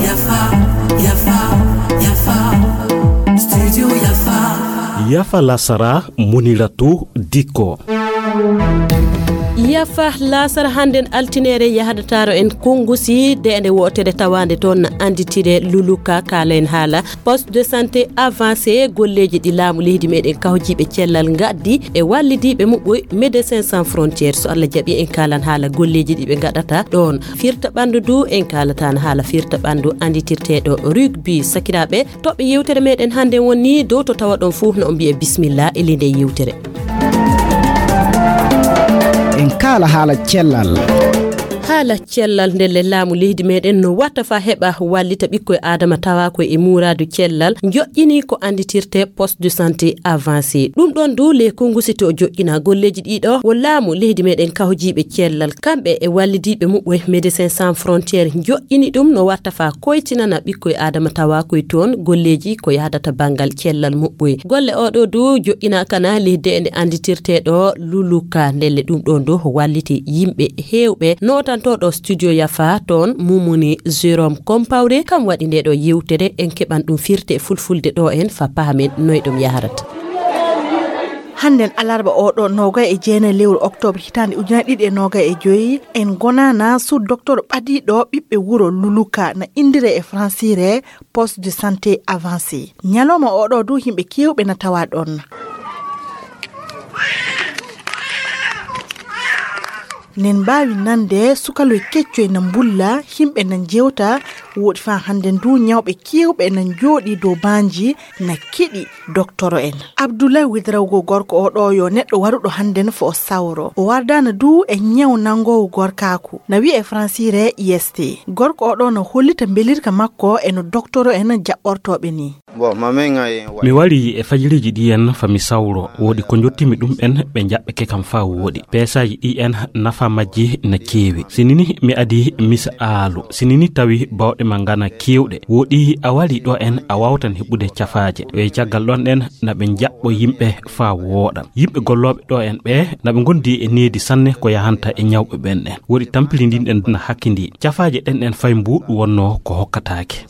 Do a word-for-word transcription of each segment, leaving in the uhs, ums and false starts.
Yafa, yafa, yafa. Studio Yafa. Yafa lasara, Muniratu Diko. Yafa lasara hannden altineere yahadataaro en Kongusi, deende wootere tawaande toon na annditire Luluka, kaala en haala poste de santé avancé, golleeji ɗi laamu leydi meɗen kawjiiɓe cellal ngaddi e wallidiiɓe muɓɓoy Médecins Sans Frontières. So Allah jaɓi, en kaalan haala golleeji ɗi ɓe ngaɗata ɗoon. Firta ɓanndu du, en kaalatan haala firta ɓanndu annditirteeɗo rugby. Sakiraaɓe, toɓɓe yewtere meɗen hannde woni dow to tawa ɗon fuu no mbiye bismillah e ley nde yewtere. En kaala haala cellal. Haala cellal ndelle laamu leydi meɗen no watta fa heɓa wallita ɓikkoy Adama tawa ko e muuraadu cellal, joƴƴini ko annditirte poste de santé avancé. Ɗum ɗon du le Kongusi to joƴƴina golleeji ɗiɗo wo laamu leydi meɗen kawjiiɓe cellal, kamɓe e wallidiiɓe muɓɓoy Médecins Sans Frontières joƴƴini ɗum no watta fa koytinana ɓikkoy Adama tawa koye toon golleeji ko yahdata banngal cellal muɓɓoy. Golle oɗo du joƴƴina kana le deende annditirteeɗo Luluka, ndelle ɗum ɗon du walliti yimɓe heewɓe. Nootantooɗo studio Yafa toon, Mumuni Jérôme Compaoré, kam waɗi nde ɗo yewtere, en keɓan ɗum firte e fulfulde ɗo en fa paamen noy ɗum yahrata. Hannden alarba oɗo noogay e jeenayi lewru octobre hitaande ujunaaji ɗiɗi e noogay e joyi, en gonana sous docteur ɓadiiɗo ɓiɓɓe wuro Luluka na indire e fransire poste de santé avancé. Ñalawma oɗo du yimɓe keewɓe na tawa ɗon. Nen mbaawi nande sukaloy keccoy na mbulla, yimɓe na jewta, woɗi fa hannden du ñawɓe keewɓe na jooɗi dow baanji na kiɗi doktoro en. Abdoulaye Widrawgo gorko oɗo yo neɗɗo waruɗo hannden fo o sawro. O wardana du e ñaw nangowo gorkaaku. Na wi'e fransire I S T. Gorko oɗo no hollita mbelirka makko e no doktoro en jaɓɓortooɓe ni. Bon, ma men ngai. Mi wari e fajiriji ɗi en fa mi sawro, woɗi ko jottimi ɗum en ɓe jaɓɓeke kam fa woɗi. Peesaaji ɗi en nafa majji na keewi. Sinini mi adi misa aalu. Sinini tawi bawɗe ma ngana keewɗe. Woɗi a wari ɗo en a wawtan heɓude cafaaje. E caggal ɗon ɗen na ɓe jaɓɓo yimɓe fa wooɗa. Yimɓe gollooɓe ɗo en ɓe na ɓe gondi e needi sanne ko yahanta e ñawɓe ɓen ɗen. Woɗi tampiri ndin ɗen na hakkindi. Cafaaje ɗen ɗen fay mbuuɗu wonno ko hokkataake.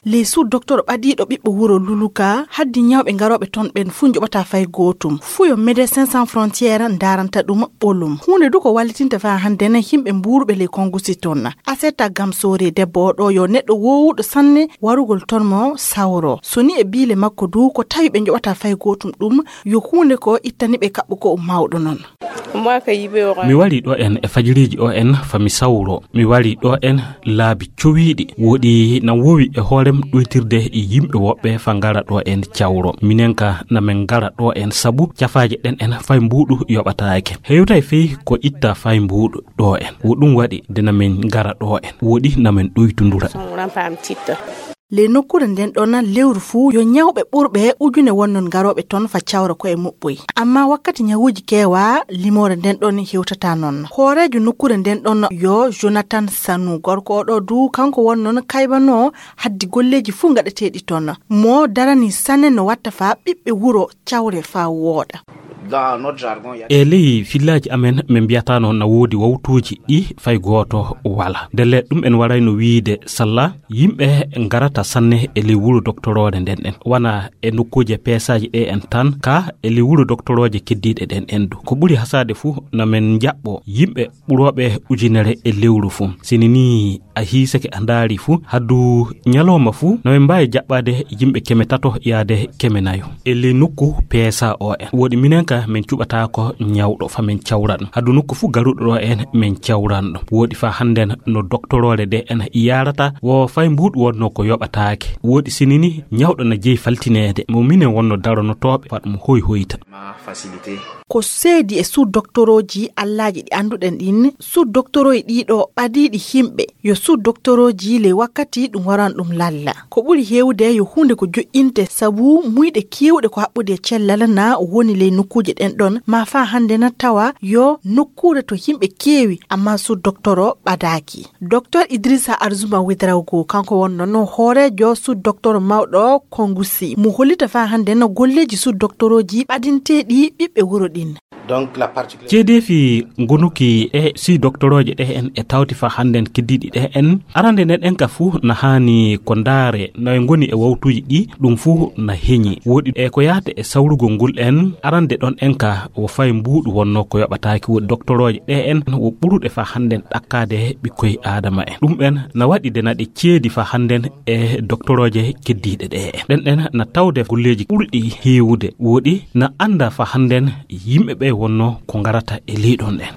Ley sous docteur ɓadiiɗo ɓiɓɓe wuro Luluka, haddi ñawɓe garooɓe ton ɓen fuu njoɓata fay gootum. Fuu yo Médecins Sans Frontières ndaranta ɗum ɓolum. Huunde du ko wallitinta faa hannden yimɓe mbuuruɓe ley Kongusi ton. Aseta Gamsoore debbo oɗo yo neɗɗo woowuɗo sanne warugol ton mo sawro. So ni e biile makko du ko tawi ɓe njoɓata fay gootum ɗum, yo huunde ko ittani ɓe kaɓɓo ko mawɗo non. Mi wari ɗo en e fajiriji o en fa mi sawro. Mi wari ɗo en laabi cowiiɗi. Woɗi na wowi e hoorem ɗoytirde e yimɓe woɓɓe fa ngara ɗo en cawro. Minen ka na min ngara ɗo en sabu cafaaje ɗen en fay mbuuɗu yoɓataake. Hewtay fey ko itta fay mbuuɗu ɗo en. Wo ɗum waɗi de na min ngara ɗo en. Woɗi na min ɗoytundura. Ley nokkuure nden ɗon lewru fuu yo ñawɓe ɓurɓe ujune wonnon garooɓe ton fa cawra ko'e muɓɓoy. Amma wakkati ñawuuji keewaa, limoore nden ɗon hewtata non. Hooreejo nokkuure nden ɗon yo Jonathan Sanu, gorko oɗo du kanko wonnon kaybanoo haddi golleeji fuu gaɗeteeɗi ton. Mo darani sanne no watta fa ɓiɓɓe wuro cawre fa wooɗa. E ley fillaaji amen, min mbiyataano na woodi wawtuuji ɗi fay gooto wala. Ndelle ɗum en warayno wiide salla yimɓe ngarata sanne e ley wuro doktoroore nden ɗen. Wana e nokkuuje peesaaji ɗe en tan, ka e ley wuro doktorooje keddiiɗe ɗen en du. Ko ɓuri hasaade fuu na min njaɓɓo yimɓe ɓurooɓe ujunere e lewru fuu. Sini ni a hiisake a ndaari fuu, haddu ñalooma fuu, na min mbaawi jaɓɓaade yimɓe keme tato yaade keme nayo. E ley nokku P S A o en, woodi minen ka min cuɓataako ñawɗo fa min cawran ɗum. Haddu nokku fuu garuɗo ɗo en, min cawran ɗum. Woodi fa hannden no doktoroore de en yaarata, wo fay mbuuɗu wonno ko yoɓataake. Woodi sini ni ñawɗo na jeyi faltineede, mo minen wonno daronotooɓe fa ɗum hoy hoyta. Ko seedi e sous-doktorooji allaaji ɗi annduɗen ɗin, sous-doktoroy ɗiɗo ɓadiiɗi himɓe, yo sous-doktorooji ley wakkati ɗum waran ɗum lalla. Ko ɓuri heewde yo huunde ko joƴƴinte, sabu muyɗe keewɗe ko haɓɓude e cellal na woni ley nokkuuje ɗen ɗon, ma faa hannde na tawa yo nokkuure to himɓe keewi, amma sous-doktoro ɓadaaki. Docteur Idrissa Arzouma Ouedraogo, kanko wonno no hooreejo sous-docteur mawɗo Kongusi. Mo hollita faa hannde no golleeji sous-doctorooji ɓadinteeɗi ɓiɓɓe wuro ɗin. Donc, la particularité. Ceedeefi ngonuki ɗe si doktorooje ɗe en e tawti fa hannden keddiiɗi ɗe en. Arande nden en ka fuu na haani ko ndaare no e ngoni e wawtuuji ɗi, ɗum fuu na heñi. Woɗi e ko yaate e sawrugol ngol en, arande ɗon en ka wo fay mbuuɗu wonno ko yoɓataaki, woɗi doktorooje ɗe en wo ɓuruɗe fa hannden ɗakkaade ɓikkoy aadama en. Ɗum en na waɗi de na ɗe ceedi fa hannden e doktorooje keddiiɗe ɗe. Ɗen ɗen na tawde golleeji ɓurɗi heewude, woɗi na annda fa hannden yimɓe ɓe wonno ko ngarata e ley ɗon ɗen.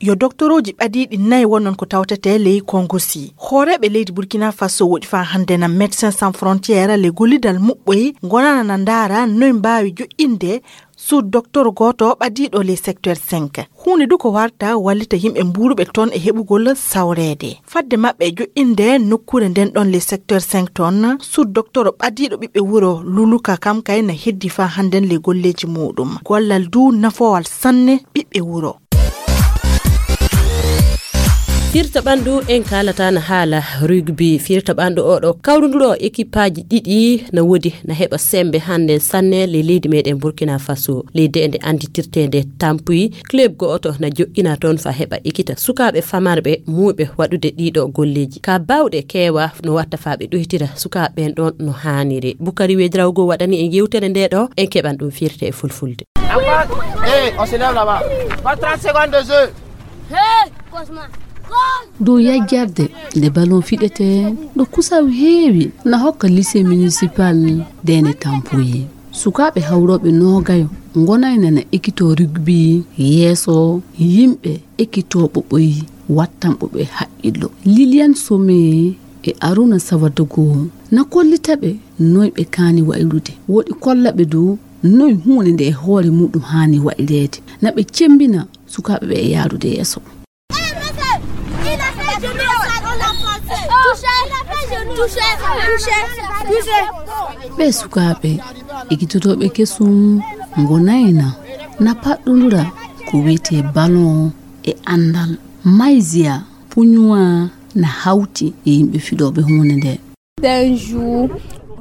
Yo doktorooji ɓadiiɗi nayi wonnon ko tawtetee ley Kongo si. Hooreeɓe leydi Burkina Faso woɗi fa hannden na Médecins Sans Frontières le gollidal muɓɓoy ngonana na ndaara noy mbaawi joƴƴinde suud doktoro gooto ɓadiiɗo ley secteur cinq. Huunde du ko warta wallita yimɓe mbuuruɓe toon e heɓugol sawreede. Fadde maɓɓe e joƴƴinde nokkuure nden ɗon ley secteur cinq toon, suud doktoro ɓadiiɗo ɓiɓɓe wuro Luluka kam kay na heddi fa hannden ley golleeji muuɗum. Gollal du nafoowal sanne ɓiɓɓe wuro. Firta ɓandu en kaalata na haala rugby. Firta ɓandu oɗo kawrunduɗo ekipaaji ɗiɗi na wodi na heɓa sembe hannden sanne ley leydi meɗen Burkina Faso. Leydi nde annditirteende Tampuy, club go'oto na joƴƴina toon fa heɓa ekita sukaaɓe famarɓe muuɓe waɗude ɗiɗo golleeji. Ka bawɗe keewa no watta fa ɓe ɗoytira sukaaɓe ɓen ɗon no haaniri. Bukari Wedrawgo waɗani en yewtere nde ɗo, en keɓan ɗum firte e fulfulde. Eh, on se lève là-bas. Pas trente secondes de jeu. Dow yajjarde nde ballon fiɗete, ɗo kusaw heewi na hokka lycée municipal Dene Tampuyi. Sukaaɓe hawrooɓe noogayo ngonayna na ekitoo rugby yeeso yimɓe ekitooɓe ɓoy wattanɓe ɓe haqqillo. Lilian Some e Aruna Savadogo na kollita ɓe noy ɓe kaani waylude. Woɗi kolla ɓe du noy huunde nde e hoore muɗum haani wayleede. Na ɓe cembina sukaaɓe ɓe e yaarude yeeso. Ɓe sukaaɓe ekitotooɓe kesum ngonayna na paɗɗundura ko wiyetee ballon e anndal. Mayziya Puñuwa na hawti e yimɓe fiɗooɓe huunde nde.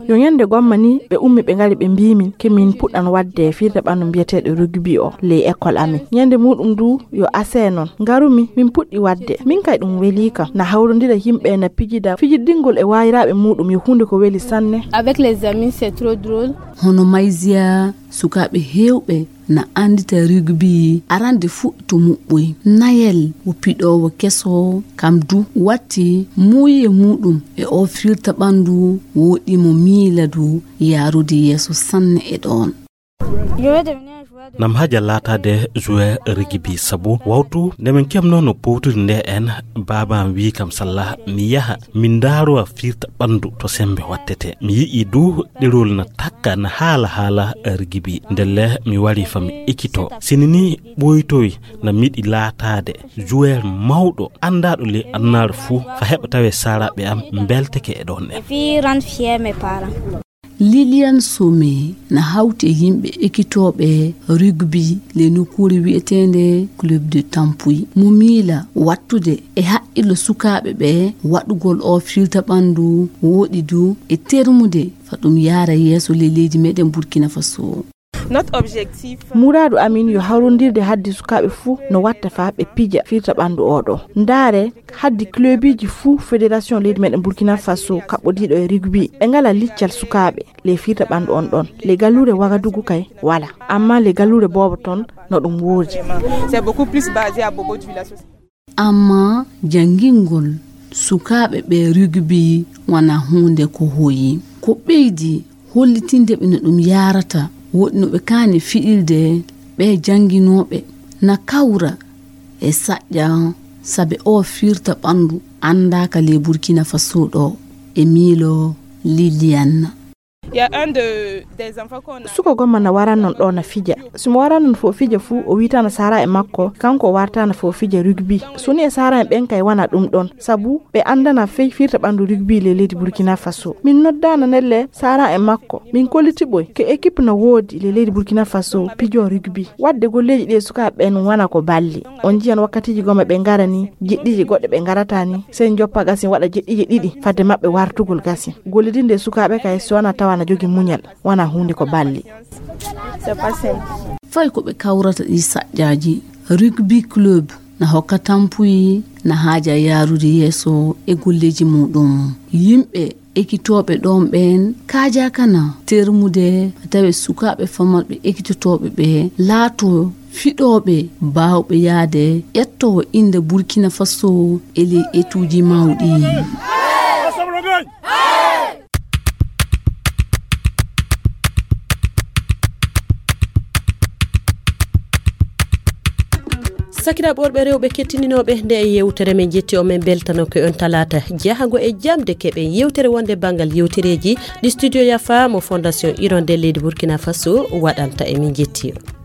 Yo ñande gomma ni ɓe ummi ɓe ngari ɓe mbii min ke min puɗɗan waɗde firde ɓandu mbiyeteeɗo rugby o ley école amin. Ñande muɗum du yo asee non ngarumi min puɗɗi waɗde. Min kay ɗum weli kam. Na hawrondira yimɓe na pijida fijidingol e waayiraaɓe muɗum yo huunde ko weli sanne. Avec les amis, c'est trop drôle. Hono Mayziya, sukaaɓe heewɓe na anndita rugby arande fuɗɗo muɓɓoy. Nayel wo piɗoowo keso, kam du watti muuyiye muɗum e o firta ɓandu woɗi mo miila du yaarude yeeso sanne e ɗoon. Nam haja laataade joueur rugby sabu wawtu nde min kemnono powtude nde en, baaba am wii kam salla mi yaha min ndaarowa firta ɓandu to sembe wattete. Mi yi'i du ɗerol na takka na haala haala rugby. Ndelle mi wari fa mi ekito. Sini ni ɓoytoy na miɗi laataade joueur mawɗo anndaɗo ley annaar fuu fa heɓa tawe saaraaɓe am mbelteke e ɗon en. Et puis rendre fier mes parents. Lilian Some na hawti e yimɓe ekitooɓe rugby le nokkuure wi'eteende Club de Tampuy. Mo miila wattude e haqqillo sukaaɓe ɓe waɗugol o firta ɓandu woɗi du e termude fa ɗum yaara yeeso le leydi meɗen Burkina Faso. Notre objectif. Muraadu amin yo hawrondirde haddi sukaaɓe fuu no watta fa ɓe pija firta ɓandu oɗo. Ndaare haddi clubiji fuu fédération leydi meɗen Burkina Faso kaɓɓodiiɗo e rugby ɓe ngala liccal sukaaɓe le firta ɓandu on ɗon. Le galluure Wagadugu kay wala. Amma le galluure boobo ton no ɗum woodi. C'est beaucoup plus basé à Bobo du village. Amma janngingol sukaaɓe ɓe rugby wana huunde ko hoyi. Ko ɓeydi hollitinde ɓe no ɗum yaarata, woɗi no ɓe kaani fiɗirde ɓe jannginooɓe na kawra e saƴƴa sabe o firta ɓanndu anndaaka le Burkina Faso ɗo e miilo Liliane. Il y a un de, des enfants qu'on a. Suka gomma na waran non ɗo na fija. Si mo waran non fo fija fu o witana sara e makko kanko o wartana fo fija rugby. Suni e sara en ɓen kay wana ɗum ɗon sabu ɓe andana fey firta ɓandu rugby le leydi Burkina Faso. Min noddana nelle sara e makko min kolliti ɓoy ke équipe na woodi le leydi Burkina Faso pijo rugby. Wadde golleji ɗi e sukaɓe ɓen wana ko balli. On jiyan wakkatiji goma ɓe ngarani jiɗɗiji goɗɗe ɓe ngaratani sey joppa gasin waɗa jiɗɗiji ɗiɗi fadde maɓɓe wartugol gasin. Gollidinde e sukaɓe kay so wana tawa na jogi muñal, wana huunde ko balli. Fay ko ɓe kawrata ɗi saƴƴaaji, rugby club na hokka tampuyi, na haaja yaarude yeeso e golleeji muɗum. Yimɓe ekitooɓe ɗoon ɓeen kaajaaka na termude tawe sukaaɓe famarɓe ekitotooɓe ɓe laato fiɗooɓe baawɓe yahde ƴettoo innde Burkina Faso e ley etuuji mawɗi. Sakiraaɓe worɓe rewɓe kettininooɓe nde e yewtere, min jetti on, min mbeltano ko on talaata jahango e jamde keɓen yewtere wonde banngal yewtereeji ɗi studio Yafa mo Fondation Hirondelle leydi Burkina Faso waɗanta. E min jetti on.